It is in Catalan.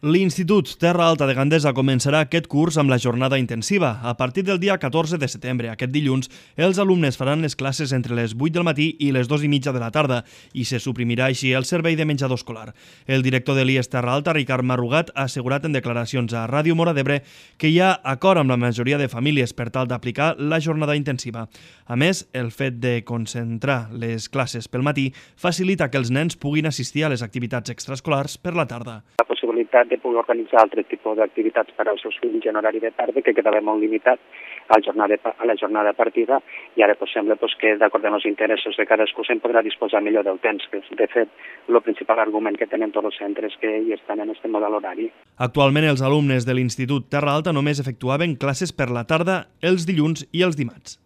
L'Institut Terra Alta de Gandesa començarà aquest curs amb la jornada intensiva. A partir del dia 14 de setembre, aquest dilluns, els alumnes faran les classes entre les 8 del matí i les 2:30 de la tarda i se suprimirà així el servei de menjador escolar. El director de l'IES Terra Alta, Ricard Marrugat, ha assegurat en declaracions a Ràdio Móra d'Ebre que hi ha acord amb la majoria de famílies per tal d'aplicar la jornada intensiva. A més, el fet de concentrar les classes pel matí facilita que els nens puguin assistir a les activitats extraescolars per la tarda. La possibilitat de poder organitzar altres tipus d'activitats per als seus fills en horari de tarda, que quedava molt limitat a la jornada partida, i ara sembla que, d'acord amb els interessos de cadascú, se'n podrà disposar millor del temps, que és, de fet, el principal argument que tenen tots els centres que hi estan en aquest model horari. Actualment, els alumnes de l'Institut Terra Alta només efectuaven classes per la tarda els dilluns i els dimarts.